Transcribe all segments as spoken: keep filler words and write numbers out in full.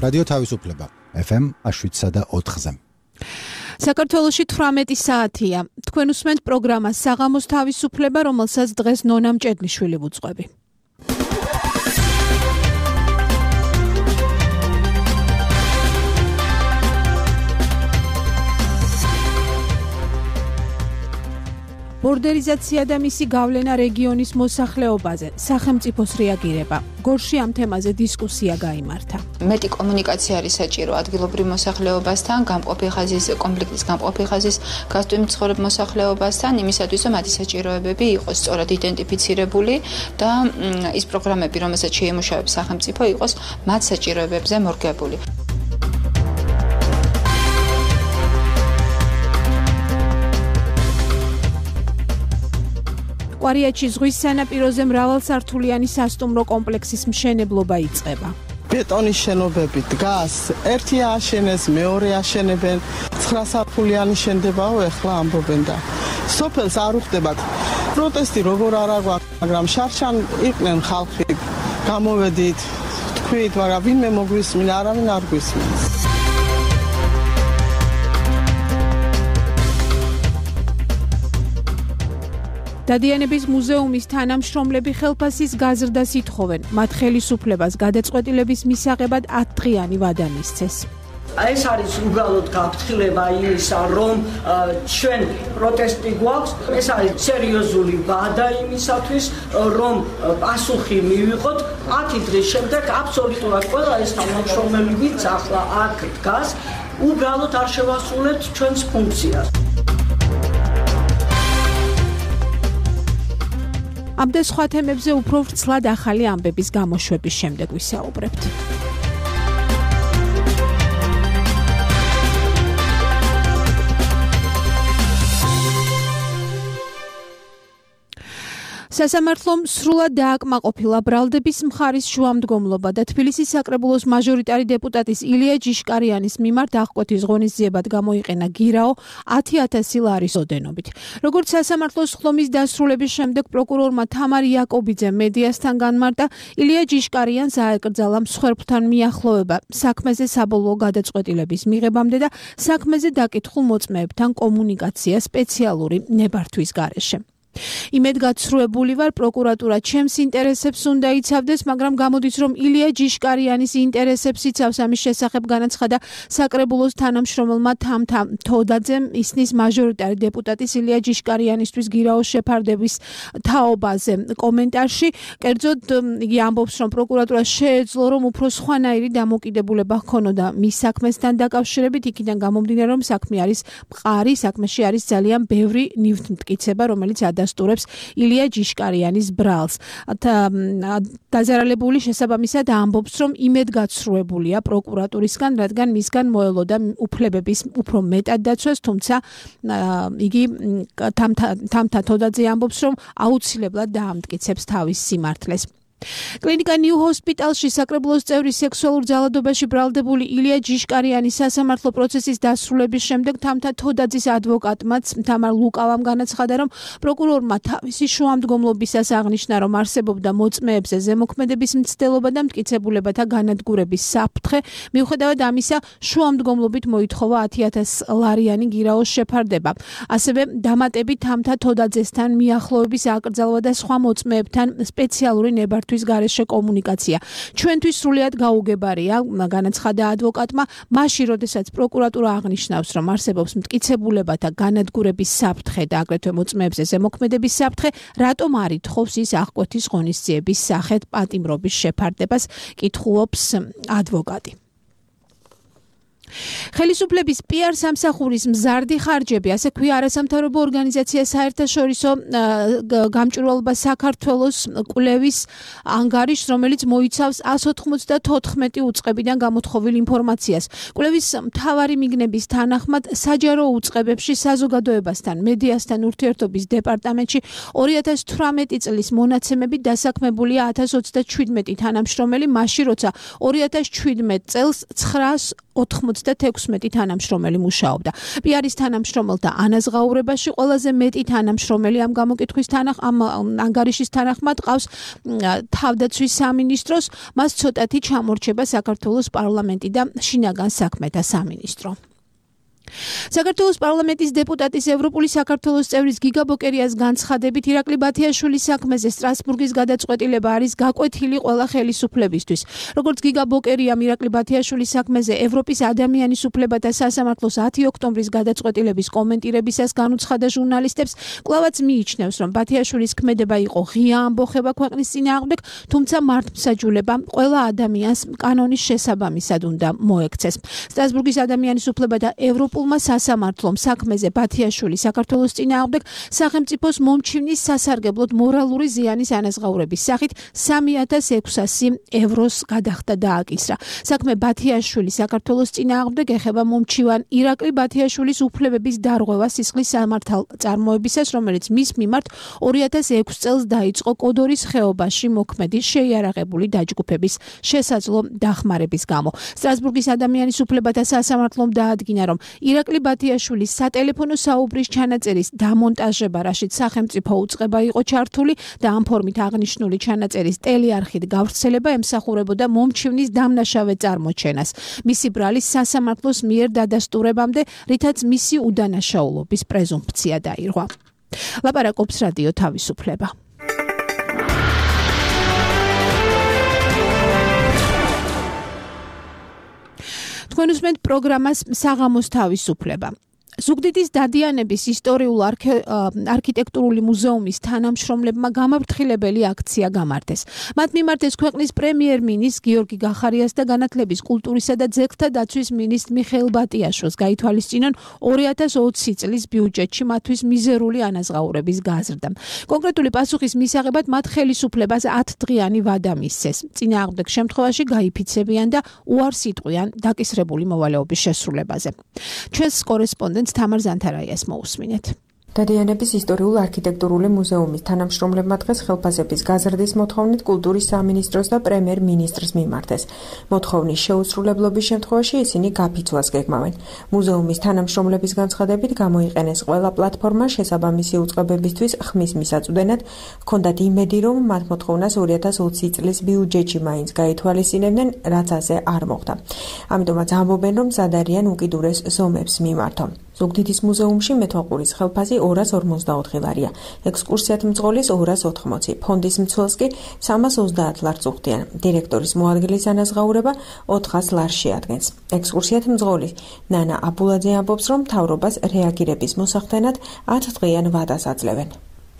რადიო თავისუფლება ეფ ემ შვიდსა და ოთხზე. საქართველოში თვრამეტი საათია. თქვენ უსმენთ პროგრამას საღამოს თავისუფლება, რომელსაც დღეს ნონა მჭედლიშვილი ვუძღვები. ბორდერიზაცია და მისი გავლენა რეგიონის მოსახლეობაზე, სახელმწიფოს რეაგირება. გორში ამ თემაზე დისკუსია გაიმართა. მეტი კომუნიკაცია არის საჭირო ადგილობრივ მოსახლეობასთან, გამყოფი ხაზის კონფლიქტის გამყოფი ხაზის გასტვიმ მცხოვრებ მოსახლეობასთან, იმისათვის რომ მათი საჭიროებები იყოს სწორად იდენტიფიცირებული და ის პროგრამები, რომელსაც შეიმუშავებს სახელმწიფო, იყოს მათ საჭიროებებზე მორგებული. კვარიატში ზღვის სანაპიროზე მრავალსართულიანი სასტუმრო კომპლექსის მშენებლობა იწყება. ბეტონის შენობები დგას, ერთი ააშენეს, მეორე აშენებენ, ცხრასართულიანი შენდებაო, ეხლა ამბობენ და სოფელს არ უხდებათ. პროტესტი როგორ არა გვაქვს, მაგრამ შარშან იყვნენ ხალხი, გამოვედით, თქვით, მაგრამ ვინმე მოგვისმინა, არავინ არ გვისმენს. დადიანების მუზეუმის თანამშრომლები ხელფასის გაზრდას ითხოვენ. მათ ხელისუფლებას გადაწყვეტილების მისაღებად ათდღიანი ვადა მისცეს. ეს არის უბრალოდ გაფრთხილება იმისა, რომ ჩვენ პროტესტი გვაქვს. ეს არის სერიოზული ვადა იმისათვის, რომ პასუხი მივიღოთ. ათი დღის შემდეგ აბსოლუტურად ყველა ეს თანამშრომელი, ვინც ახლა აქ დგას, უბრალოდ არ შევასრულებთ ჩვენს ფუნქციას. ამ და სხვა თემებზე უფრო ვრცლად ახალი ამბების გამოშვების შემდეგ ვისაუბრებთ. სასამართლომ სრულად დააკმაყოფილა ბრალდების მხარის შუამდგომლობა და თბილისის საკრებულოს მაჟორიტარი დეპუტატის ილია ჯიშკარიანის მიმართ აღკვეთის ღონისძიებად გამოიყენა გირაო ათი ათასი ლარის ოდენობით. როგორც სასამართლოს ხლომის დასრულების შემდეგ პროკურორმა თამარ იაკობიძემ მედიასთან განმარტა, ილია ჯიშკარიანს აეკრძალა მსხვერპლთან მიახლოვება საქმეზე საბოლოო გადაწყვეტილების მიღებამდე და საქმეზე დაკითხულ მოწმეებთან კომუნიკაცია სპეციალური ნებართვის გარეშე. იმედგაცრუებული ვარ, პროკურატურა ჩემს ინტერესებს უნდა იცავდეს, მაგრამ გამოდის, რომ ილია ჯიშკარიანის ინტერესებს იცავს. ამის შესახებ განაცხადა საკრებულოს თანამშრომელმა თამთა თოდაძემ ისნის მაჟორიტარი დეპუტატის ილია ჯიშკარიანისთვის გირაოს შეფარდების თაობაზე კომენტარში. კერძოდ იგი ამბობს, რომ პროკურატურა შეეძლო, რომ უფრო სხვანაირი დამოკიდებულება ჰქონოდა მის საქმესთან დაკავშირებით, იქიდან გამომდინარე, რომ საქმე არის მყარი, საქმეში არის ძალიან ბევრი ნივთმტკიცება, რომელიც დასტურებს ილია ჯიშკარიანის ბრალს. დაზარალებული შესაბამისად ამბობს, რომ იმედგაცრუებულია პროკურატურისგან, რადგან მისგან მოელოდა უფლებების უფრო მეტად დაცვას, თუმცა იგი თამთა თოდაძე ამბობს, რომ აუცილებლად დაამტკიცებს თავის სიმართლეს. კლინიკა ნიუ ჰოსპიტალში საკრებულოს წევრი სექსუალურ ძალადობაში ბრალდებული ილია ჯიშკარიანის სასამართლო პროცესის დასრულების შემდეგ თამთა თოდაძის ადვოკატმაც თამარ ლუკავამ განაცხადა, რომ პროკურორმა თავისი შუამდგომლობისას აღნიშნა, რომ არსებობდა მოწმეებზე ზემოქმედების მცდელობა და მტკიცებულებათა განადგურების საფრთხე. მიუხედავად ამისა, შუამდგომლობით მოითხოვა ათი ათასი ლარიანი გირაოს შეფარდება. ასევე დამატებით თამთა თოდაძესთან მიახლოების აკრძალვა და სხვა მოწმეებთან სპეციალური ნებართვის გარეშე კომუნიკაცია. ჩვენთვის სრულიად გაუგებარია, განაცხადა ადვოკატმა, მაშინ, როდესაც პროკურატურა აღნიშნავს, რომ არსებობს მტკიცებულებათა განადგურების საფრთხე და აგრეთვე მოწმეებზე ზემოქმედების საფრთხე, რატომ არ ითხოვს ის აღკვეთის ღონისძიების სახით პატიმრობის შეფარდებას, კითხულობს ადვოკატი. ხელისუფლების პიარ სამსახურის მზარდი ხარჯები, ასე ქვია არასამთავრობო ორგანიზაცია საერთაშორისო გამჭვირვალობა საქართველოს კვლევის ანგარიშს, რომელიც მოიცავს εκατს ოცდათოთხმეტი უწყებიდან გამოთხოვილ ინფორმაციას. კვლევის მთავარი მიგნების თანახმად საჯარო უწყებებში საზოგადოებასთან, მედიასთან ურთიერთობის დეპარტამენტში ორი ათასი თვრამეტი წლის მონაცემებით დასაქმებულია ათას ოცდაჩვიდმეტი თანამშრომელი, მაშინ როცა ორი ათასი ჩვიდმეტ წელს ცხრას ოთხმოცდათექვსმეტი თანამშრომელი მუშაობდა. პიარის თანამშრომელთა ანაზღაურებაში ყველაზე მეტი თანამშრომელი ამ გამოკითხვის თანახ ამ ანგარიშის თანახმად ყავს თავდაცვის სამინისტროს, მას ცოტათი ჩამორჩება საქართველოს პარლამენტი და შინაგან საქმეთა სამინისტრო. საქართველოს პარლამენტის დეპუტატის ევროპული საქართველოს წევრის გიგა ბოკერიას განცხადებით ირაკლი ბათიაშვილის საქმეზე სტრასბურგის გადაწყვეტილება არის გაკვეთილი ყველა ხელისუფლებისთვის. როგორც გიგა ბოკერიამ ირაკლი ბათიაშვილის საქმეზე ევროპის ადამიანის უფლებათა სასამართლოს ათი ოქტომბრის გადაწყვეტილების კომენტირებისას განუცხადა ჟურნალისტებს, კვლავაც მიიჩნევს, რომ ბათიაშვილის ქმედება იყო ღია ამბოხება ქვეყნის წინააღმდეგ, თუმცა მართლმსაჯულება ყველა ადამიანს კანონის შესაბამისად უნდა მოექცეს. სტრასბურგის ადამიანის უფლებათა ევროპულ სასამართლომ საქმეზე ბათიაშვილი საქართველოს წინააღმდეგ სახელმწიფოს მომჩივნის სასარგებლოდ მორალური ზიანის ანაზღაურების სახით სამი ათას ექვსასი ევროს გადახდა დააკისრა. საქმე ბათიაშვილის საქართველოს წინააღმდეგ ეხება მომჩივან ირაკლი ბათიაშვილის უფლებების დარღვევა სისხლის სამართალწარმოებისას, რომელიც მის მიმართ ორი ათას ექვსი წელს დაიწყო კოდორის ხეობაში მოქმედი შეიარაღებული დაჯგუფების შესაძლო დახმარების გამო. სტრასბურგის ადამიანის უფლებათა სასამართლომ დაადგინა, რომ ირაკლი ბათიაშვილის სატელეფონო საუბრის ჩანაწერის დამონტაჟება, რაშიც სახელმწიფო უწყება იყო ჩართული და ამ ფორმით აღნიშნული ჩანაწერის ტელეარხით გავრცელება ემსახურებოდა მომჩივნის დამნაშავე წარმოჩენას. მისი ბრალის სასამართლოს მიერ დადასტურებამდე, რითაც მისი უდანაშაულობის პრეზუმფცია დაირღვა. ლაპარაკობს რადიო თავისუფლება. თქვენ უსმენთ პროგრამას საღამოს თავისუფლება. ზუგდიდის დადიანების ისტორიულ არქიტექტურული მუზეუმის თანამშრომლებმა გამაფრთხილებელი აქცია გამართეს. მათ მიმართეს ქვეყნის პრემიერ-მინისტრ გიორგი გახარიას და განათლების, კულტურისა და ძეგლთა დაცვის მინისტრ მიხეილ ბატიაშვილს გაითვალისწინონ ორი ათას ოცი წლის ბიუჯეტში მათთვის მიზერული ანაზღაურების გაზრდა. კონკრეტული პასუხის მისაღებად მათ ხელისუფლებას ათდღიანი ვადა მისცეს. წინააღმდეგ შემთხვევაში გაიფიცებიან და უარს იტყვიან დაკისრებული მოვალეობის შესრულებაზე. ჩვენს კორესპონდენტ თამარ ზანთარაიას მოусმინეთ. დადიანების ისტორიულ არქიტექტურული მუზეუმის თანამშრომლებმა დღეს ხელფასების გაზრდის მოთხოვნით კულტურის სამინისტროს და პრემიერ-მინისტრს მიმართეს. მოთხოვნის შეუსრულებლობის შემთხვევაში ისინი გაფიცვას გეგმავენ. მუზეუმის თანამშრომლების განცხადებით გამოიყენეს ყველა პლატფორმა შესაბამისი უწყებებისთვის ხმის მისაწვდენად, ჰქონდათ იმედი, რომ მათ მოთხოვნას ორი ათას ოცი წლის ბიუჯეტში მაინც გაითვალისწინებდნენ, რაც ასე არ მოხდა. ამიტომაც ამბობენ, რომ მზად არიან უკიდურეს ზომებს მიმართონ. ზუგდიდის მუზეუმში მეთვალყურის ხელფასი ორას ორმოცდაოთხი ლარია, ექსკურსიათ მძღოლის ორას ოთხმოცი, ფონდის მცველს კი სამას ოცდაათ ლარს უხდიან. დირექტორის მოადგილის ანაზღაურება ოთხას ლარს შეადგენს. ექსკურსიათ მძღოლის ნანა აბულაძე ამბობს, რომ მთავრობას რეაგირების მოსახდენად ათდღიან ვადას აძლევენ.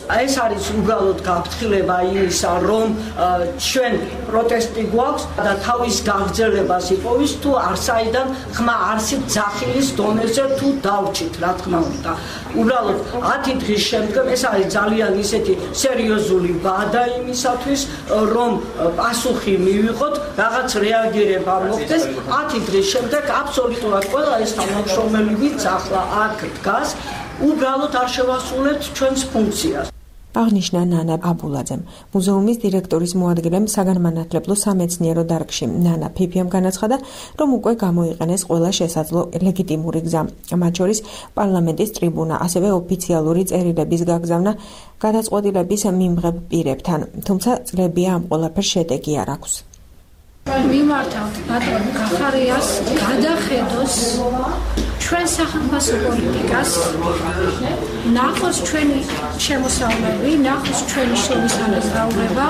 ეს არის უბრალოდ გაფრთხილება იმისა, რომ ჩვენ პროტესტი გვაქვს და თავის გაგრძელებას იპოვის თუ არსაიდან ხმა არსით ძახილის დონეზე თუ დავრჩით, რა თქმა უნდა. უბრალოდ ათი დღის შემდგომ ეს არის ძალიან ისეთი სერიოზული ვადა იმისათვის, რომ პასუხი მივიღოთ, რაღაც რეაგირება მოხდეს. ათი დღის შემდეგ აბსოლუტურად ყველა ეს თანამშრომელი, ვინც ახლა აქ დგას, უბრალოდ არ შევასრულებთ ჩვენს ფუნქციას. აღნიშნა ნანა აბულაძემ. მუზეუმის დირექტორის მოადგილემ საგანმანათლებლო სამეცნიერო დარგში ნანა ფიფიამ განაცხადა, რომ უკვე გამოიყენეს ყველა შესაძლო ლეგიტიმური გზა, მათ შორის პარლამენტის ტრიბუნა, ასევე ოფიციალური წერილების გაგზავნა გადაწყვეტილების მიმღებ პირებთან, თუმცა წლებია ამ ყველაფერს შედეგი არ აქვს. მიმართავთ ბატონ გახარიას გადახედოს ჩვენ სახელმწიფო პოლიტიკას, ნახოს ჩვენი შემოსავლები, ნახოს ჩვენი შემოსავლება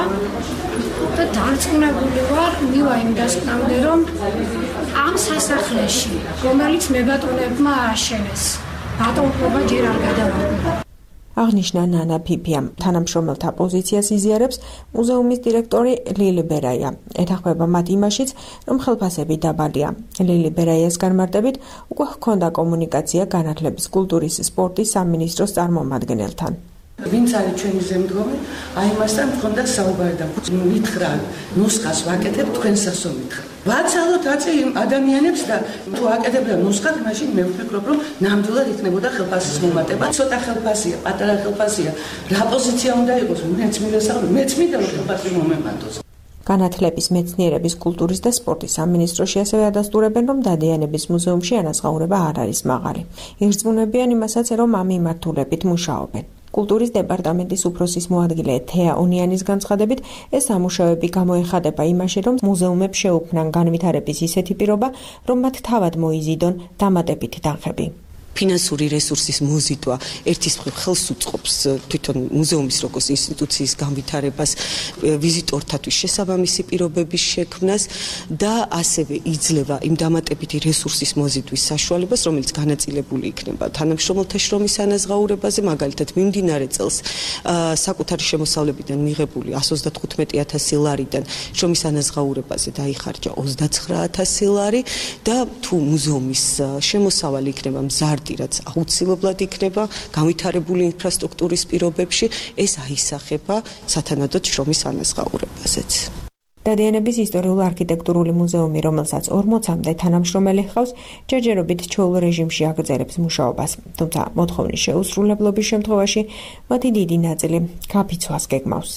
და დარწმუნებული ვარ მივა იმ დასკვნამდე, რომ ამ სასახლეში, რომელიც მებატონებმა ააშენეს, ბატონობა ჯერ არ გადავარდა. აღნიშნა ნანა ფიფიამ. თანამშრომელთა პოზიციას იზიარებს მუზეუმის დირექტორი ლილი ბერაია. ეთანხმება მათ იმაშიც, რომ ხელფასები დაბალია. ლილი ბერაიას განმარტებით, უკვე ჰქონდა კომუნიკაცია განათლების, კულტურის, სპორტის სამინისტროს წარმომადგენელთან. ვინც არის ჩვენი ზემდგომი, აი მასთან მქონდა საუბარი და მითხრა, ნუსხას ვაკეთებ თქვენსას ომითხრა. ვაცალოთ აწე იმ ადამიანებს და თუ აკეთებდა ნუსხად, მაშინ მე ვფიქრობ, რომ ნამდვილად იქნებოდა ხელფასის მომატება. ცოტა ხელფასია, პატარა ხელფასია. რა პოზიცია უნდა იყოს? მეც მივესალმე, მეც მინდა რომ ხელფასი მომემატოს. განათლების, მეცნიერების, კულტურის და სპორტის სამინისტროში ასევე ადასტურებენ, რომ დადიანების მუზეუმში ანაზღაურება არ არის მაღალი. ირწმუნებიან იმასაც, რომ ამ მიმართულებით მუშაობენ. კულტურის დეპარტამენტის უფროსის მოადგილე თეა ონიანის განცხადებით, ეს სამუშაოები გამოეხადება იმაში, რომ მუზეუმებს შეუქმნან განვითარების ისეთი პირობა, რომ მათ თავად მოიზიდონ დამატებითი თანხები. ფინანსური რესურსის მოზიდვა ერთის მხრივ ხელს უწყობს თვითონ მუზეუმის როგორც ინსტიტუციის განვითარებას, ვიზიტორთათვის შესაბამისი პირობების შექმნას და ასევე იძლევა იმ დამატებითი რესურსის მოზიდვის საშუალებას, რომელიც განაწილებული იქნება თანამშრომელთა შრომის ანაზღაურებაზე, მაგალითად მიმდინარე წელს საკუთარი შემოსავლებიდან მიღებული εκατს ოცდათხუთმეტი ათასი ლარიდან შრომის ანაზღაურებაზე დაიხარჯა ოცდაცხრა ათასი ლარი და თუ მუზეუმის შემოსავალი იქნება მზარდი, რაც აუცილებლად იქნება განვითარებული ინფრასტრუქტურის პირობებში, ეს აისახება სათანადოდ შრომის ანაზღაურებაზეც. დადიანების ისტორიულ-არქიტექტურული მუზეუმი, რომელსაც ორმოცამდე თანამშრომელი ჰყავს, ჯერჯერობით ჩვეულ რეჟიმში აგრძელებს მუშაობას, თუმცა მოთხოვნის შეუსრულებლობის შემთხვევაში მათი დიდი ნაწილი გაფიცვას გეგმავს.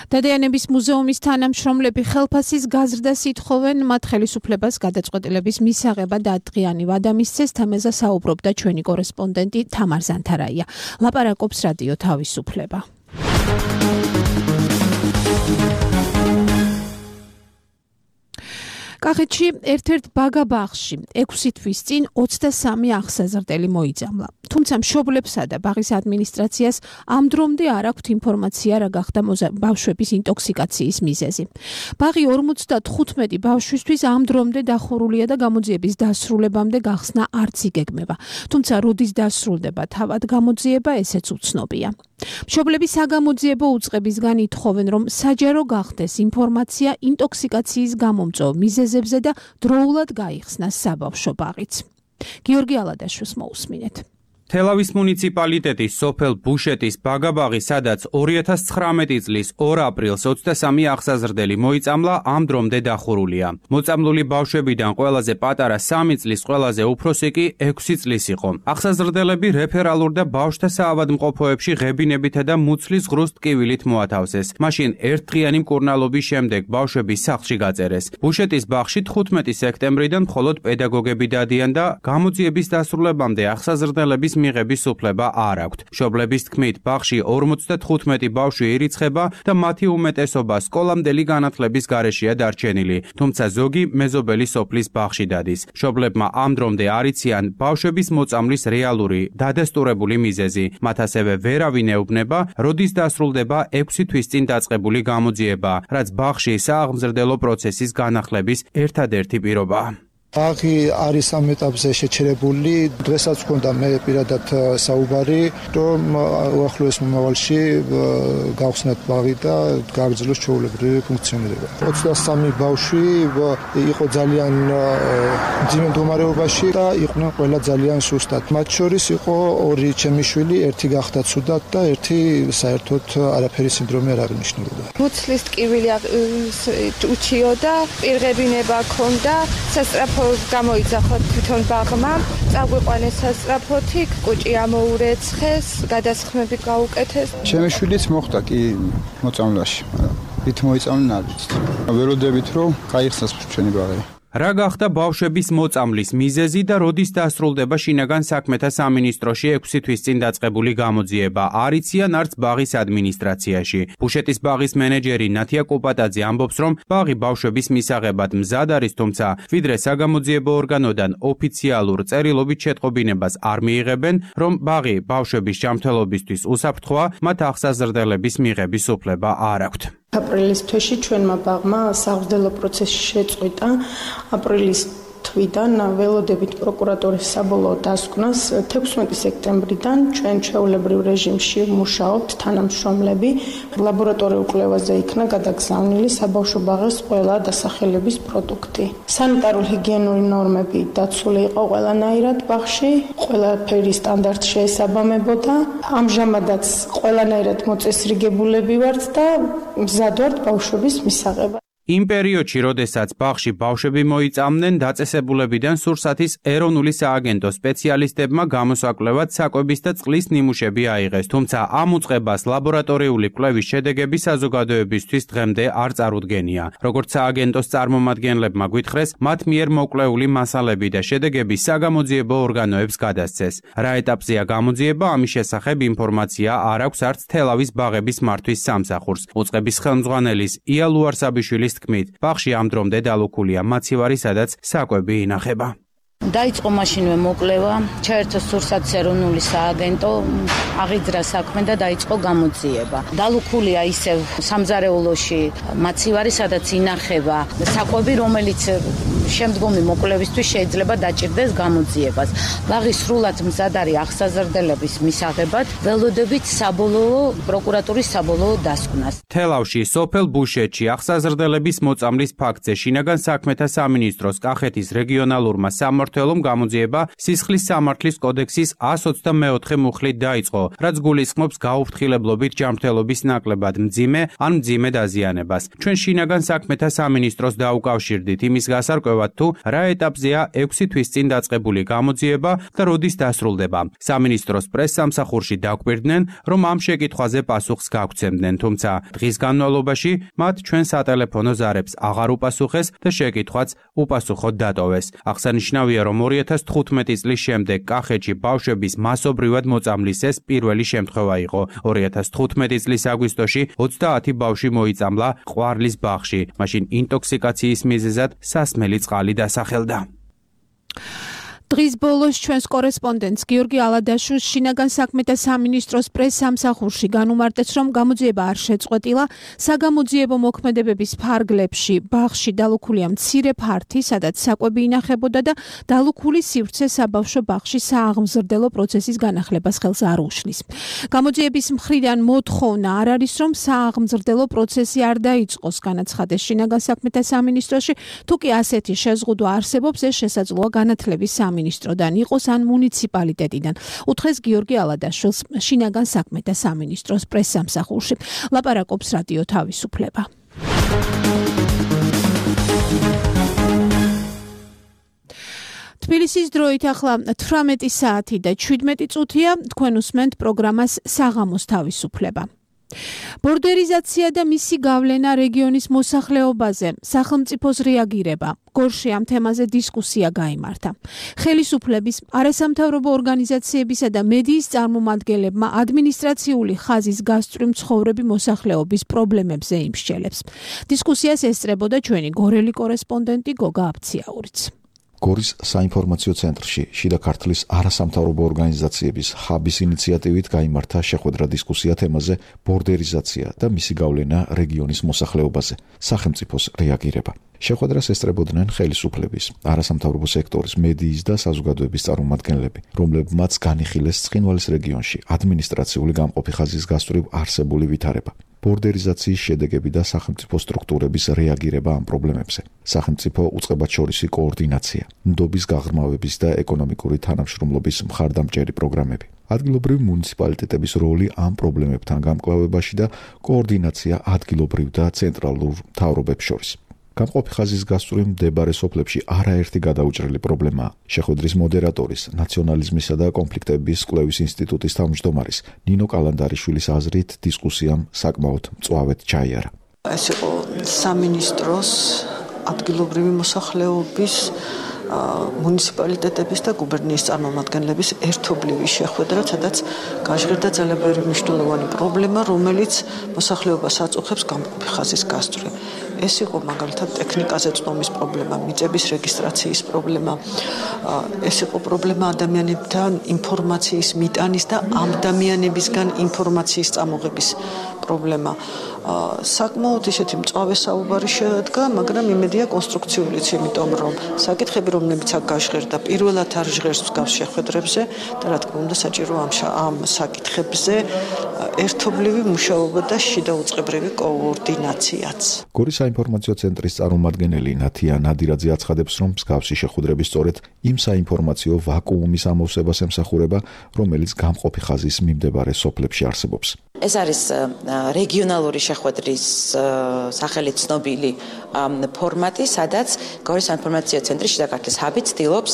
დადიანების მუზეუმის თანამშრომლები ხელფასის გაზრდას ითხოვენ, მათ ხელისუფლებას გადაწყვეტილების მისაღებად ათდღიანი ვადა მისცეს. თემაზე საუბრობდა ჩვენი კორესპონდენტი თამარ ზანთარაია. ლაპარაკობს რადიო თავისუფლება. კახეთში ერთ-ერთ ბაგა-ბაღში ექვსი თვის წინ ოცდასამი აღსაზრდელი მოიძამლა. თუმცა მშობლებსა და ბაღის ადმინისტრაციას ამ დრომდე არ აქვთ ინფორმაცია, რა გახდა ბავშვების ინტოქსიკაციის მიზეზი. ბაღი ორმოცდათხუთმეტი ბავშვისთვის ამ დრომდე დახურულია და გამოძიების დასრულებამდე გახსნა არც იგეგმება. თუმცა როდის დასრულდება თავად გამოძიება, ესეც უცნობია. მშობლები საგამოძიებო უწყებისგან ითხოვენ, რომ საჯარო გახდეს ინფორმაცია ინტოქსიკაციის გამომწვევ მიზეზებზე და დროულად გაიხსნას საბავშვო ბაღიც. გიორგი ალადაშვილს მოусმინეთ. თელავის მუნიციპალიტეტის სოფელ ბუშეტის ბაგა-ბაღი, სადაც ორი ათას ცხრამეტი წლის ორ აპრილს ოცდასამი აღსაზრდელი მოიწამლა, ამ დრომდე დახურულია. მოწამლული ბავშვებიდან ყველაზე პატარა სამი წლის, ყველაზე უფროსი კი ექვსი წლის იყო. აღსაზრდელები რეფერალურ და ბავშვთა საავადმყოფოებში ღებინებითა და მუცლის ღრუს ტკივილით მოათავსეს. მაშინ ერთდღიანი მკურნალობის შემდეგ ბავშვები სახლში გაწერეს. ბუშეტის ბაღში თხუთმეტი სექტემბრიდან მხოლოდ პედაგოგები დადიან და გამოძიების დასრულებამდე აღსაზრდელების მიღების უფლება არ აქვთ. მშობლების თქმით, ბაღში ორმოცდათხუთმეტი ბავშვი ირიცხება და მათი უმეტესობა სკოლამდელი განათლების გარეშეა დარჩენილი, თუმცა ზოგი მეზობელი სოფლის ბაღში დადის. მშობლებმა ამ დრომდე არ იციან ბავშვების მოწამვლის რეალური დადასტურებული მიზეზი. მათ ასევე ვერავინ ეუბნება, როდის დასრულდება ექვსი თვის წინ დაწყებული გამოძიება, რაც ბაღში სააღმზრდელო პროცესის განახლების ერთადერთი პირობაა. ბაღი არის ამ ეტაპზე შეჩერებული. დღესაც მქონდა მე პირადად საუბარი, რომ უახლოეს მომავალში გავხსნათ ბაღი და გააგრძელოს ჩვეულებრივი ფუნქციონირება. ოცდასამი ბავშვი იყო ძალიან მძიმე მდგომარეობაში და იყვნენ ყველა ძალიან სუსტად. მათ შორის იყო ორი ჩემი შვილი, ერთი გახდა ცუდად და ერთი საერთოდ არაფერი სინდრომი არ აღნიშნულოდა. მუცლის ტკივილი უჩიოდა, პირღებინება ჰქონდა, სასწრაფო გამოიძახოთ თვითონ ბაღმა, წაგვიყვანეს სასწრაფოთი, კუჭი ამოურეცხეს, გადასხმები გაუკეთეს. ჩემი შვილიც მოხდა კი მოწამვლაში, ვით მოიწამლენ არ ვიცით. ველოდებით რომ გაიხსნას ჩვენი ბაღი. რა გახდა ბავშვების მოწამვლის მიზეზი და როდის დასრულდება შინაგან საქმეთა სამინისტროში ექვსი თვის წინ დაწყებული გამოძიება, არ იციან არც ბაღის ადმინისტრაციაში. ბუშეტის ბაღის მენეჯერი ნათია კოპატაძე ამბობს, რომ ბაღი ბავშვების მისაღებად მზად არის, თუმცა ვიდრე საგამოძიებო ორგანოდან ოფიციალურ წერილობით შეტყობინებას არ მიიღებენ, რომ ბაღი ბავშვების ჯანმრთელობისთვის უსაფრთხოა, მათ აღსაზრდელების მიღების უფლება არ აქვთ. აპრილის თვეში ჩვენმა ბაღმა სააღმრთელო პროცესი შეწყვიტა. აპრილის თვიდან ველოდებით პროკურატურის საბოლოო დასკვნას თექვსმეტი სექტემბრიდან ჩვენ ჩვეულებრივ რეჟიმში მუშაობთ თანამშრომლები. ლაბორატორიულ კვლევაზე იქნა გადაგზავნილი საბავშვო ბაღის ყველა დასახელების პროდუქტი. სანიტარულ-ჰიგიენური ნორმები დაცული იყო ყველანაირად ბაღში, ყველაფერი სტანდარტ შეესაბამებოდა. ამჟამადაც ყველანაირად მოწესრიგებულები ვართ და მზად ვართ ბავშვების მისაღებად. იმ პერიოდში, როდესაც ბაღში ბავშვები მოიწამნენ, დაწესებულებიდან სურსათის ეროვნული სააგენტოს სპეციალისტებმა გამოსაკვლევად საკვების და წყლის ნიმუშები აიღეს, თუმცა ამ უწყებას ლაბორატორიული კვლევის შედეგები საზოგადოებისთვის დღემდე არ წარუდგენია. როგორც სააგენტოს წარმომადგენლებმა გვითხრეს, მათ მიერ მოკვლეული მასალები და შედეგები საგამოძიებო ორგანოებს გადასცეს. რა ეტაპზეა გამოძიება, ამის შესახებ ინფორმაცია არ აქვს არც თელავის ბაღების მართვის სამსახურს. უწყების ხელმძღვანელის ია ლუარსაბიშვილის თქმით, ბაღში ამ დრომდე დალუქულია მაცივარი, სადაც საკვები ინახება. დაიწყო მაშინვე მოკვლევა, ჩაერთო სურსათის ეროვნული სააგენტო, აღიძრა საქმე და დაიწყო გამოძიება. დალუქულია ისევ სამზარეულოში მაცივარი, სადაც ინახება საკვები, რომელიც შემდგომი მოკვლევისთვის შეიძლება დაჭირდეს გამოძიებას. ბაღი სრულად მზად არის აღსაზრდელების მისაღებად, ველოდებით საბოლოო პროკურატურის საბოლოო დასკვნას. თელავში, სოფელ ბუშეთში აღსაზრდელების მოწამლის ფაქტზე შინაგან საქმეთა სამინისტროს კახეთის რეგიონალურმა სამმართველომ გამოძიება სისხლის სამართლის კოდექსის ას ოცდამეოთხე მუხლით დაიწყო, რაც გულისხმობს გაუფრთხილებლობით ჯანმრთელობის ნაკლებად მძიმე ან მძიმე დაზიანებას. ჩვენ შინაგან საქმეთა სამინისტროს დაუკავშირდით იმის გასარკვევად, თუ რა ეტაპზეა ექვსი თვის წინ დაწყებული გამოძიება და როდის დასრულდება. სამინისტროს პრესსამსახურში დაგვირდნენ, რომ ამ შეკითხვაზე პასუხს გაგვცემდნენ, თუმცა დღის განმავლობაში მათ ჩვენ სატელეფონო ზარებს აღარ უპასუხეს და შეკითხვაც უპასუხოდ დატოვეს. აღსანიშნავია, რომ ორი ათას თხუთმეტი წლის შემდეგ კახეთში ბავშვების მასობრივად მოწამვლის ეს პირველი შემთხვევა იყო. ორი ათას თხუთმეტი წლის აგვისტოში ოცდაათი ბავშვი მოიწამლა ყვარლის ბაღში. მაშინ ინტოქსიკაციის მიზეზად სასმელი წყალი დასახელდა. დღის ბოლოს ჩვენს კორესპონდენტს გიორგი ალადაშვილს შინაგან საქმეთა სამინისტროს პრესსამსახურში განუმარტეს, რომ გამოძიება არ შეწყვეტილა. საგამოძიებო მოქმედებების ფარგლებში ბაღში დალუქულია მცირე ფართი, სადაც საკვები ინახებოდა და დალუქული სივრცე საბავშვო ბაღში სააღმზრდელო პროცესის განახლებას ხელს არ უშლის. გამოძიების მხრიდან მოთხოვნა არ არის, რომ სააღმზრდელო პროცესი არ დაიწყოს, განაცხადეს შინაგან საქმეთა სამინისტროში. თუ კი ასეთი შეზღუდვა არსებობს, ეს შესაძლოა განათლების სამინისტროდან იყოს ან მუნიციპალიტეტიდან, უთხრეს გიორგი ალადაშვილს შინაგან საქმეთა სამინისტროს პრესსამსახურში. ლაპარაკობს რადიო თავისუფლება. თბილისის დროით ახლა თვრამეტი საათი და შვიდმეტი წუთია, თქვენ უსმენთ პროგრამას საღამოს თავისუფლება. ბორდერიზაცია და მისი გავლენა რეგიონის მოსახლეობაზე, სახელმწიფოს რეაგირება. გორში ამ თემაზე დისკუსია გაიმართა. ხელისუფლების, არასამთავრობო ორგანიზაციებისა და მედიის წარმომადგენლებმა ადმინისტრაციული ხაზის გასწვრივ მცხოვრები მოსახლეობის პრობლემებზე იმსჯელებს. დისკუსიას ესწრებოდა ჩვენი გორელი კორესპონდენტი გოგა აბციაურიც. გორის საინფორმაციო ცენტრში შიდა ქართლის არასამთავრობო ორგანიზაციების ჰაბის ინიციატივით გაიმართა შეხვედრა დისკუსია თემაზე ბორდერიზაცია და მისი გავლენა რეგიონის მოსახლეობაზე, სახელმწიფოს რეაგირება. შეხვედრას ესწრებოდნენ ხელისუფლების, არასამთავრობო სექტორის, მედიის და საზოგადოების წარმომადგენლები, რომლებმაც განიხილეს ცხინვალის რეგიონში ადმინისტრაციული გამყოფი ხაზის გასწვრივ არსებული ვითარება. ბორდერიზაციის შედეგები და სახელმწიფო სტრუქტურების რეაგირება ამ პრობლემებზე. სახელმწიფო უწყებათშორისი კოორდინაცია, ნდობის გაღრმავების და ეკონომიკური თანამშრომლობის მხარდამჭერი პროგრამები. ადგილობრივი მუნიციპალიტეტების როლი ამ პრობლემებთან გამკლავებაში და კოორდინაცია ადგილობრივ და ცენტრალურ მთავრობებს შორის. გამყოფი ხაზის გასწვრივ მდებარე სოფლებში არაერთი გადაუჭრელი პრობლემაა. შეხვედრის მოდერატორის, ნაციონალიზმისა და კონფლიქტების კვლევის ინსტიტუტის თავმჯდომარის ნინო კალანდარიშვილის აზრით დისკუსიამ საკმაოდ მწვავედ ჩაიარა. ეს იყო სამინისტროს ადგილობრივი მოსახლეობის მუნიციპალიტეტების და გუბერნიის წარმომადგენლების ერთობლივი შეხვედრა, სადაც გაჟღერდა ძალიან ბევრი მნიშვნელოვანი პრობლემა, რომელიც მოსახლეობას აწუხებს გამყოფი ხაზის გასწვრივ. ეს იყო მაგალითად ტექნიკაზე წვდომის პრობლემა, მიწების რეგისტრაციის პრობლემა. ეს იყო პრობლემა ადამიანებთან ინფორმაციის მიტანის და ამ ადამიანებისგან ინფორმაციის წამოღების პრობლემა. საკმაოდ ისეთი მწვავე საუბარი შედგა, მაგრამ იმედია კონსტრუქციულიც, იმიტომ რომ საკითხები, რომლებიც აქ გაჟღერდა, პირველად არ ჟღერს მსგავს შეხვედრებზე და რა თქმა უნდა საჭირო ამ ამ საკითხებზე ერთობლივი მუშაობა და შიდა უწყებრივი კოორდინაციაც. გორის საინფორმაციო ცენტრის წარმომადგენელი ნათია ნადირაძე აცხადებს, რომ მსგავსი შეხვედრები სწორედ იმ საინფორმაციო ვაკუუმის ამოვსებას ემსახურება, რომელიც გამყოფი ხაზის მიმდებარე სოფლებში არსებობს. ეს არის რეგიონალური შეხვედრის სახელით ცნობილი ფორმატი, სადაც გორის საინფორმაციო ცენტრი შიდა ქართლის ჰაბი ცდილობს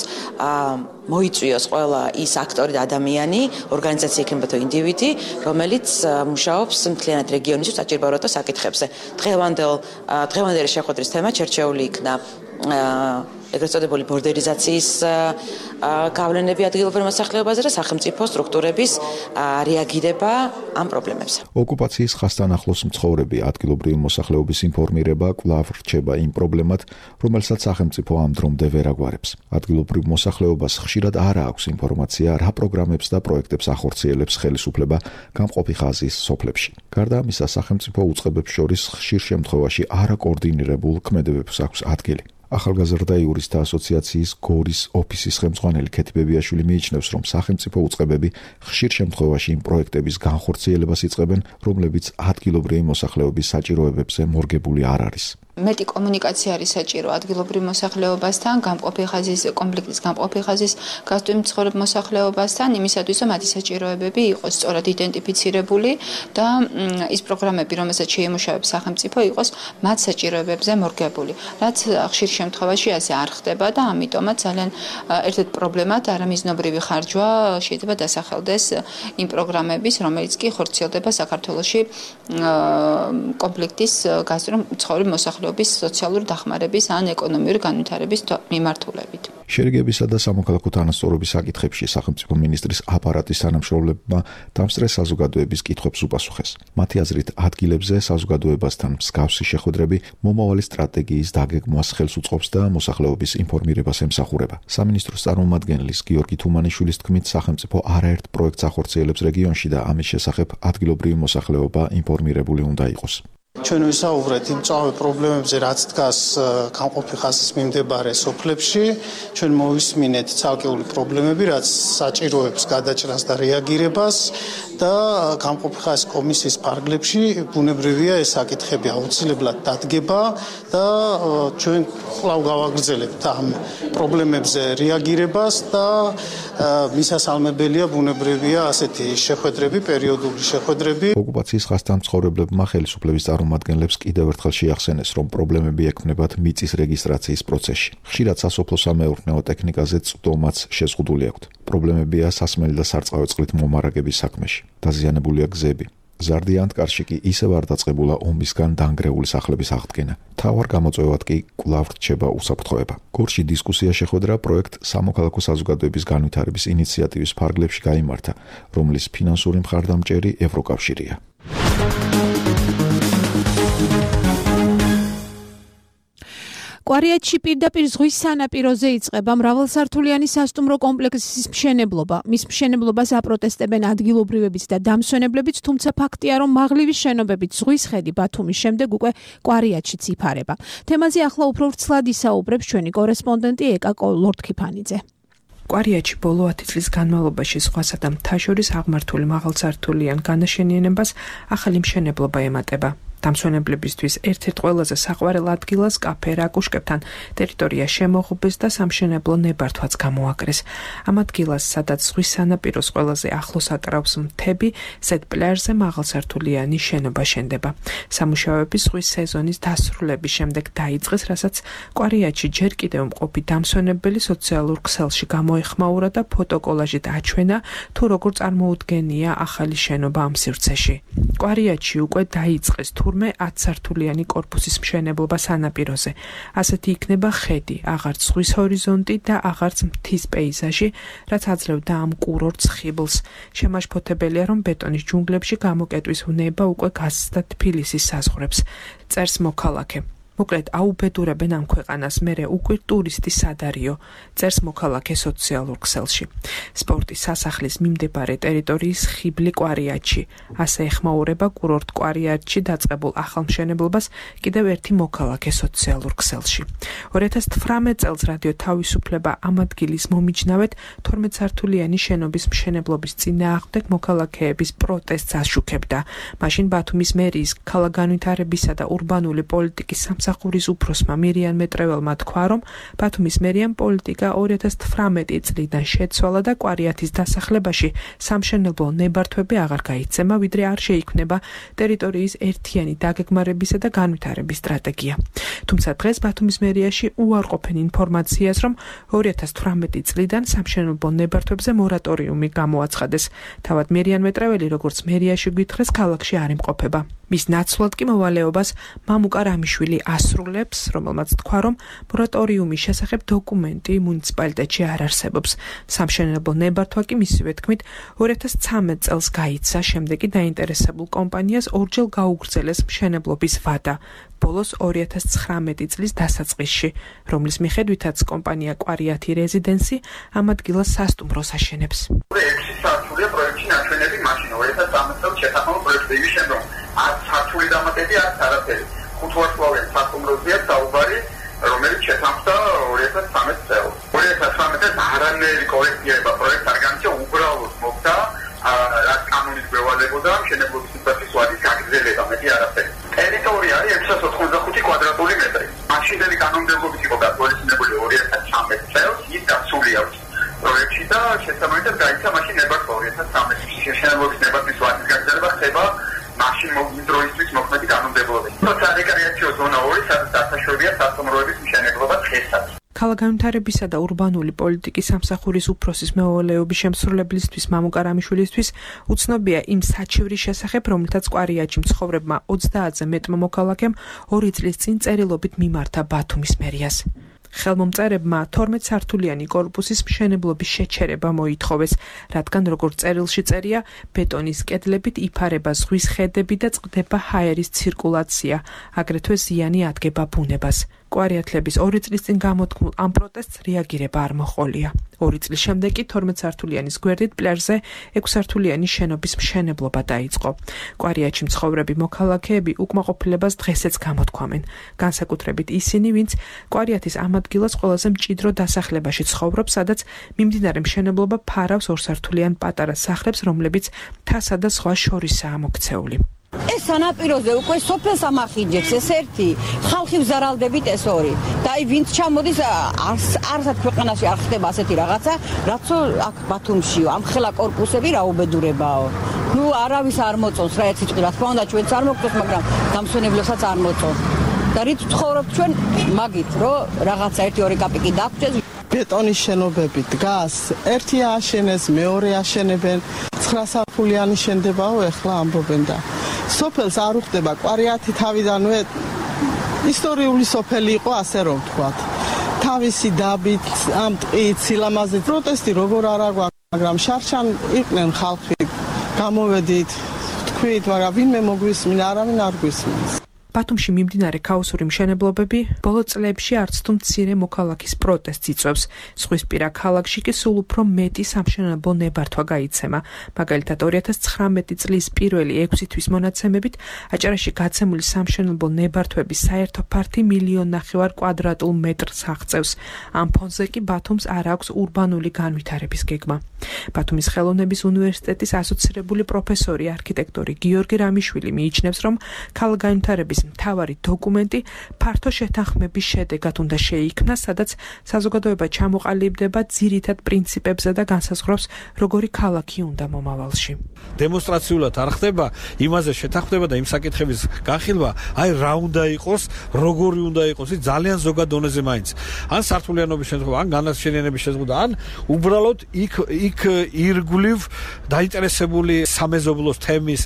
მოიწვიოს ყველა ის აქტორი და ადამიანი, ორგანიზაცია იქნება თუ ინდივიდი, რომელიც მუშაობს მთლიანად რეგიონის საჭიროებათა საკითხებზე. დღევანდელ დღევანდელი შეხვედრის თემა ჩერჩეული იქნა ეგრეთ წოდებული ბორდერიზაციის გავლენები ადგილობრივ მოსახლეობაზე და სახელმწიფო სტრუქტურების რეაგირება ამ პრობლემებზე. ოკუპაციის ხასთან ახლოს მცხოვრები ადგილობრივი მოსახლეობის ინფორმირება კვლავ რჩება იმ პრობლემად, რომელსაც სახელმწიფო ამ დრომდე ვერ აგვარებს. ადგილობრივ მოსახლეობას ხშირად არ აქვს ინფორმაცია, რა პროგრამებს და პროექტებს ახორციელებს ხელისუფლება გამყოფი ხაზის სოფლებში. გარდა ამისა, სახელმწიფო უწყებებს შორის ხშირ შემთხვევაში არაკოორდინირებულ ქმედებებს აქვს ადგილი. ახალგაზრდა იურისტთა ასოციაციის გორის ოფისის ხელმძღვანელი ქეთი ბებიაშვილი მიიჩნევს, რომ სახელმწიფო უწყებები ხშირ შემთხვევაში იმ პროექტების განხორციელებას იწყებენ, რომლებიც ადგილობრივი მოსახლეობის საჭიროებებზე მორგებული არ არის. მეტი კომუნიკაცია არის საჭირო ადგილობრივ მოსახლეობასთან, გამყოფი ხაზის კონფლიქტის გამყოფი ხაზის გასწვრივ მცხოვრებ მოსახლეობასთან, იმისათვის, რომ მათი საჭიროებები იყოს სწორად იდენტიფიცირებული და ის პროგრამები, რომელსაც შეიმუშავებს სახელმწიფო, იყოს მათ საჭიროებებზე მორგებული. რაც ხშირ შემთხვევაში ასე არ ხდება და ამიტომაც ძალიან ერთ-ერთ პრობლემად არამიზნობრივი ხარჯვა შეიძლება დასახელდეს იმ პროგრამების, რომელიც კი ხორციელდება საქართველოში კონფლიქტის გასწვრივ მცხოვრებ მოსახლეობასთან სოციალური დახმარების ან ეკონომიური განვითარების მიმართულებით. შერიგებისა და სამოქალაქო თანასწორობის საკითხებში სახელმწიფო მინისტრის აპარატის თანამშრომლებმა დამსწრე საზოგადოების კითხვებს უპასუხეს. მათი აზრით, ადგილებზე საზოგადოებასთან მსგავსი შეხვედრები მომავალი სტრატეგიის დაგეგმვას ხელს უწყობს და მოსახლეობის ინფორმირებას ემსახურება. სამინისტროს წარმომადგენლის გიორგი თუმანიშვილის თქმით, სახელმწიფო არაერთ პროექტს ახორციელებს რეგიონში და ამის შესახებ ადგილობრივი მოსახლეობა ინფორმირებული უნდა იყოს. ჩვენ ვისაუბრეთ იმ წავე პრობლემებზე, რაც დგას გამყოფი ხაზის მიმდებარე სოფლებში. ჩვენ მოვისმინეთ ცალკეული პრობლემები, რაც საჭიროებს გადაჭრას და რეაგირებას და გამყოფი ხაზის კომისიის ფარგლებში ბუნებრივია ეს საკითხები აუცილებლად დადგება და ჩვენ კვლავ გავაგრძელებთ ამ პრობლემებზე რეაგირებას და მისასალმებელია ბუნებრივია ასეთი შეხვედრები, პერიოდული შეხვედრები. ოკუპაციის ხასთან მცხოვრებლებმა ხელისუფლების წარმომადგენლებს კიდევ ერთხელ შეახსენეს, რომ პრობლემები ექმნებათ მიწის რეგისტრაციის პროცესში. ხშირად სასოფლო-სამეურნეო ტექნიკაზე წვდომაც შეზღუდული აქვთ. პრობლემებია სასმელი და სარწყავი წყლით მომარაგების საქმეში. დაზიანებულია გზები. ზარდიან კარში კი ისევ არ დაწყებულა ომისგან დანგრეული სახლების აღდგენა. თავარ გამოწვევად კი კვლავ რჩება უსაფრთხოება. გორში დისკუსია შეხვედრა პროექტ სამოქალაქო საზოგადოების განვითარების ინიციატივის ფარგლებში გაიმართა, რომლის ფინანსური მხარდამჭერი ევროკავშირია. კვარიატში პირდაპირ ზღვის სანაპიროზე იწყება მრავალსართულიანი სასტუმრო კომპლექსის მშენებლობა. მის მშენებლობას აპროტესტებენ ადგილობრივებიც და დამსვენებლებიც, თუმცა ფაქტია, რომ მაღლივი შენობებით ზღვის ხედი ბათუმის შემდეგ უკვე კვარიატშიც იფარება. თემაზე ახლა უფრო ვრცლად ისაუბრებს ჩვენი კორესპონდენტი ეკა ლორთქიფანიძე. კვარიატში ბოლო ათი წლის განმავლობაში ზღვასა და მთას შორის აღმართული მაღალსართულიან განაშენიანებას ახალი მშენებლობა ემატება. დამსვენებლებისთვის ერთ-ერთ ყველაზე საყვარელ ადგილას კაფე რაკუშკებთან ტერიტორია შემოღუბეს და სამშენებლო ნებართვაც გამოაკრეს. ამ ადგილას, სადაც ზღვის სანაპიროს ყველაზე ახლოს აკრავს მთები, ზედ პლაჟზე მაღალსართულიანი შენობა შენდება. სამუშაოები ზღვის სეზონის დასრულების შემდეგ დაიწყეს, რასაც კვარიატში ჯერ კიდევ მყოფი დამსვენებელი სოციალურ ქსელში გამოეხმაურა და ფოტოკოლაჟით აჩვენა, თუ როგორ წარმოუდგენია ახალი შენობა ამ სივრცეში. კვარიატში უკვე დაიწყეს თუ ათსართულიანი კორპუსის მშენებლობა სანაპიროზე. ასეთი იქნება ხედი, აღარც ზღვის ჰორიზონტი და აღარც მთის პეიზაჟი, რაც აძლევდა ამ კურორტს ხიბლს. შემაშფოთებელია, რომ ბეტონის ჯუნგლებში გამოკეტვის უნება უკვე გასცდა თბილისის საზღვრებს. წერს მოქალაქე. მოკლედ აუბედურებენ ამ ქვეყანას, მერე უკვე ტურისტი სადარიო, წერს მოქალაქე სოციალურ ქსელში. სპორტის სასახლის მიმდებარე ტერიტორიის ხიბლი კვარიატში. ასე ეხმაურება კურორტ კვარიატში დაწყებულ ახალ მშენებლობას კიდევ ერთი მოქალაქე სოციალურ ქსელში. ორი ათას თვრამეტ წელს რადიო თავისუფლება ამ ადგილის მომიჯნავედ თორმეტსართულიანი შენობის მშენებლობის წინააღმდეგ მოქალაქეების პროტესტს აშუქებდა. მაშინ ბათუმის მერიის ქალაქგანვითარებისა და ურბანული პოლიტიკის სამსახურის უფროსმა მირიან მეტრეველმა თქვა, რომ ბათუმის მერიამ პოლიტიკა ორი ათას თვრამეტი წლიდან შეცვალა და კვარიათის დასახლებაში სამშენებლო ნებართვები აღარ გაიცემა, ვიდრე არ შეიქმნება ტერიტორიის ერთიანი დაგეგმარებისა და განვითარების სტრატეგია. თუმცა დღეს ბათუმის მერიაში უარყოფენ ინფორმაციას, რომ ორი ათას თვრამეტი წლიდან სამშენებლო ნებართვებზე მორატორიუმი გამოაცხადეს. თავად მირიან მეტრეველი, როგორც მერიაში გვითხრეს, ქალაქში არ იმყოფება. მის ნაცვლად კი მოვალეობას მამუკა რამიშვილი ასრულებს, რომელმაც თქვა, რომ მორატორიუმის შესახებ დოკუმენტი მუნიციპალიტეტში არ არსებობს. სამშენებლო ნებართვა კი მისივე თქმით ორი ათას ცხრამეტ წელს გაიცა, შემდეგ კი დაინტერესებულ კომპანიას ორჯერ გაუგრძელეს მშენებლობის ვადა. ბოლოს ორი ათას ცხრამეტი წლის დასაწყისში, რომლის მიხედვითაც კომპანია კვარიათი რეზიდენსი ამ ადგილას სასტუმროს აშენებს. ექვსი სართულია პროექტში ნაჩვენები მაშინ ორი ათას ოცდაათი წელს შეთანხმება პროექტი იმის შემდგომ არც სართული დამატები არც არაფერი. ხუთვარსკვლავიან სასტუმროზეა საუბარი, რომელიც შეთანხმდა ორი ათას ცხრამეტ წელს. ორი ათას ცხრამეტ წელს არანაირი კორექტირება პროექტს არ განიცდა, უბრალოდ მოხდა რაც კანონით გვევალებოდა მშენებლობის სიტუაციის ვადის გაგრძელება, მეტი არაფერი. ტერიტორია არის ექვსას ოთხმოცდახუთი კვადრატული მეტრი. მაშინდელი კანონმდებლობით იყო გათვალისწინებული ორი ათას ცხრამეტ წელს, ის დაცული აქვს პროექტში და შესაბამისად გაიცა მაშინ ნებართვა ორი ათას ცხრამეტში. მშენებლობის ნებართვის ვადის გაგრძელება ხდება მაშინ დროისთვის მოქმედი კანონმდებლობით. თუმცა რეკრეაციო ზონა ორი, სადაც დასაშვებია სასტუმროების მშენებლობა დღესაც. ქალაქგანვითარებისა და ურბანული პოლიტიკის სამსახურის უფროსის მეუღლეობის შემსრულებლისთვის მამუკა რამიშვილისთვის უცნობია იმ საჩივრის შესახებ, რომელთაც კვარიათში მცხოვრებმა ოცდაათზე მეტმა მოქალაქემ ორი წლის წინ წერილობით მიმართა ბათუმის მერიას. ხელმომწერებმა თორმეტ სართულიანი კორპუსის მშენებლობის შეჩერება მოითხოვეს, რადგან როგორც წერილში წერია, ბეტონის კედლებით იფარება ზღვის ხედები და წყდება ჰაერის ცირკულაცია, აგრეთვე ზიანი ადგება ბუნებას. კვარიათლების ორი წლის წინ გამოთქმულ ამ პროტესტს რეაგირება არ მოჰყოლია. ორი წლის შემდეგ კი თორმეტ სართულიანის გვერდით პლაჟზე ექვსსართულიანი შენობის მშენებლობა დაიწყო. კვარიათში მცხოვრები მოქალაქეები უკმაყოფილებას დღესაც გამოთქვამენ, განსაკუთრებით ისინი, ვინც კვარიათის ამ ადგილას ყველაზე მჭიდრო დასახლებაში ცხოვრობს, სადაც მიმდინარე მშენებლობა ფარავს ორსართულიან პატარა სახლებს, რომლებიც მთასა და ზღვას შორისაა მოქცეული. ეს სანაპიროზე უკვე სოფელს ამახინჯებს ეს ერთი, ხალხი ვზარალდებით ეს ორი. და აი ვინც ჩამოდის არსად ქვეყანაში არ ხდება ასეთი რაღაცა, რაც აქ ბათუმშიო, ამ ხელა კორპუსები რა უბედურებაო. ნუ არავის არ მოწონს რა ეცი რა თქმა უნდა ჩვენც არ მოგწონს, მაგრამ დამსვენებლებსაც არ მოწონს. და რით ცხოვრობთ ჩვენ მაგით, რომ რაღაცა ერთი ორი კაპიკი დაგვრჩეს. ბეტონის შენობები დგას, ერთი ააშენეს, მეორე აშენებენ, ცხრასართულიანი შენდებაო, ეხლა ამბობენ და სოფელს არ უხდება. კვარიათი თავიდანვე ისტორიული სოფელი იყო, ასე რომ ვთქვათ. თავისი დაბით, ამ ტყით, სილამაზით პროტესტი როგორ არა გვაქვს, მაგრამ შარშან იყვნენ ხალხი, გამოვედით, თქვით, მაგრამ ვინმე მოგვისმინა, არავინ არ გვისმენს. ბათუმში მიმდინარე ქაოსური მშენებლობები ბოლო წლებში არც თუ მცირე მოქალაქის პროტესტს იწვევს. ზღვისპირა ქალაქში კი სულ უფრო მეტი სამშენებლო ნებართვა გაიცემა. მაგალითად ორი ათას ცხრამეტი წლის პირველი ექვსი თვის მონაცემებით აჭარაში გაცემული სამშენებლო ნებართვების საერთო ფართი მილიონ ნახევარ კვადრატულ მეტრს აღწევს. ამ ფონზე კი ბათუმს არ აქვს ურბანული განვითარების გეგმა. ბათუმის ხელოვნების უნივერსიტეტის ასოცირებული პროფესორი არქიტექტორი გიორგი რამიშვილი მიიჩნევს, რომ ქალაქგანვითარების მთავარი დოკუმენტი ფართო შეთანხმების შედეგად უნდა შეიქმნას, სადაც საზოგადოება ჩამოყალიბდება ძირითად პრინციპებზე და განსაზღვრავს, როგორი ქალაქი უნდა მომავალში. დემონსტრაციულად არ ხდება იმაზე შეთანხმება და იმ საკითხების განხილვა, აი რა უნდა იყოს, როგორი უნდა იყოს, ის ძალიან ზოგად დონეზე მაინც. ან სართულიანობის შემთხვევა, ან განაშენიანების შემთხვევა, ან უბრალოდ იქ იქ ირგვლივ დაინტერესებული სამეზობლოს თემის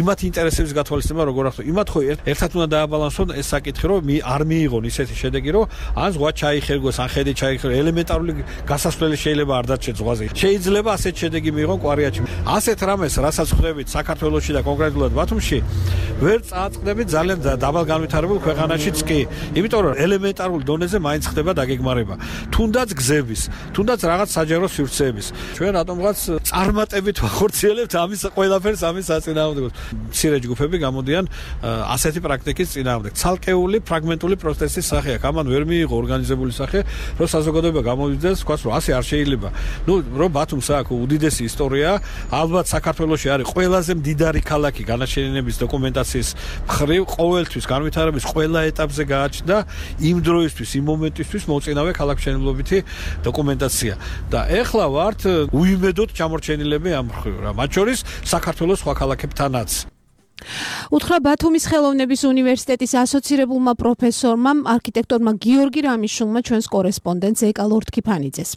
იმათ ინტერესების გათვალისწინება როგორ ახლა იმათ ხო ერთად უნდა დააბალანსონ ეს საკითხი, რომ არ მიიღონ ისეთი შედეგი, რომ ან ზღვა ჩაიხერგოს, ან ხედი ჩაიხერგოს, ელემენტარული გასასვლელი შეიძლება არ დარჩეს ზღვაზე. შეიძლება ასეთ შედეგი მიიღონ კვარიათში. ასეთ რამეს, რასაც ხვდებით საქართველოში და კონკრეტულად ბათუმში, ვერ წააწყდებით ძალიან დაბალ განვითარებულ ქვეყანაშიც კი. იმიტომ რომ ელემენტარულ დონეზე მაინც ხდება დაგეგმარება. თუნდაც გზების, თუნდაც რაღაც საჯარო სივრცეების. ჩვენ რატომღაც წარმატებით ვახორციელებთ ამის ყველაფერს ამის საწინააღმდეგოს. მცირე ჯგუფები გამოდიან ასეთი პრაქტიკის წინააღმდეგ. ცალკეული ფრაგმენტული პროცესის სახე აქვს. ამან ვერ მიიღო ორგანიზებული სახე, რომ საზოგადოება გამოვიდეს, თქვას რომ ასე არ შეიძლება. ნუ რომ ბათუმს აქვს უდიდესი ისტორია, ალბათ საქართველოში არის ყველაზე მდიდარი ქალაქი განაშენიანების დოკუმენტაციის მხრივ, ყოველთვის განვითარების ყველა ეტაპზე გააჩნდა იმ დროისთვის, იმ მომენტისთვის მოწინავე ქალაქმშენებლობითი დოკუმენტაცია. და ეხლა ვართ უიმედოდ ჩამორჩენილები ამ მხრივ რა, მათ შორის საქართველოს სხვა ქალაქებთანაც. უთხრა ბათუმის ხელოვნების უნივერსიტეტის ასოცირებულმა პროფესორმა, არქიტექტორმა გიორგი რამიშულმა ჩვენს კორესპონდენტს ეკა ლორთქიფანიძეს.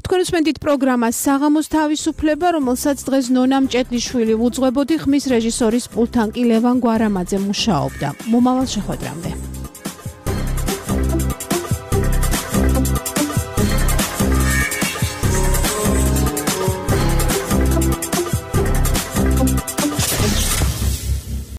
თქვენ უსმენთ პროგრამას საღამოს თავისუფლება, რომელსაც დღეს ნონა მჭედლიშვილი უძღვებოდი, ხმის რეჟისორის პულტთან კი ლევან გვარამაძე მუშაობდა. მომავალ შეხვედრამდე.